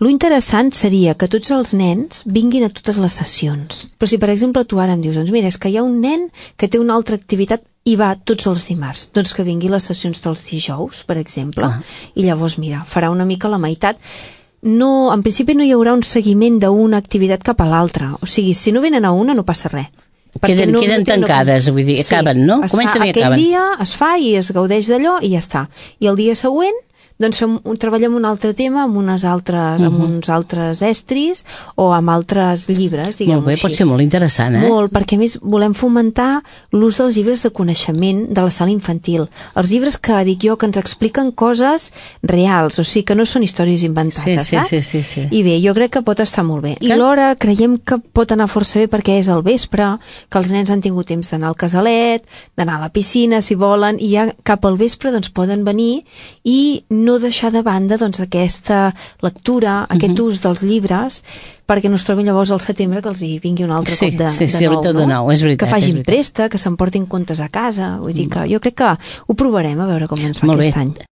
Lo interessant seria que tots els nens vinguin a totes les sessions. Però si, per exemple, tu ara em dius, doncs mira, és que hi ha un nen que té una altra activitat i va tots els dimarts, doncs que vingui a les sessions dels dijous, per exemple, i llavors, mira, farà una mica la meitat. No, en principi no hi haurà un seguiment d'una activitat cap a l'altra. O sigui, si no venen a una, no passa res. Queden tancades, vull dir, acaben, no? Comencen i acaben. Aquell dia es fa i es gaudeix d'allò i ja està. I el dia següent doncs treballem un altre tema amb uns altres estris o amb altres llibres, diguem-ho així. Molt bé, pot ser molt interessant, Molt, perquè a més volem fomentar l'ús dels llibres de coneixement de la sala infantil. Els llibres que dic jo que ens expliquen coses reals, o sigui que no són històries inventades, saps? Sí. I bé, jo crec que pot estar molt bé. I l'hora creiem que pot anar força bé perquè és al vespre, que els nens han tingut temps d'anar al casalet, d'anar a la piscina, si volen, i ja cap al vespre doncs poden venir i no deixar de banda doncs, aquesta lectura, aquest ús dels llibres, perquè no es trobin llavors al setembre que els hi vingui un altre cop de nou, és veritat. Que facin préstec, que s'emportin contes a casa. Vull dir que jo crec que ho provarem a veure com ens va aquest any.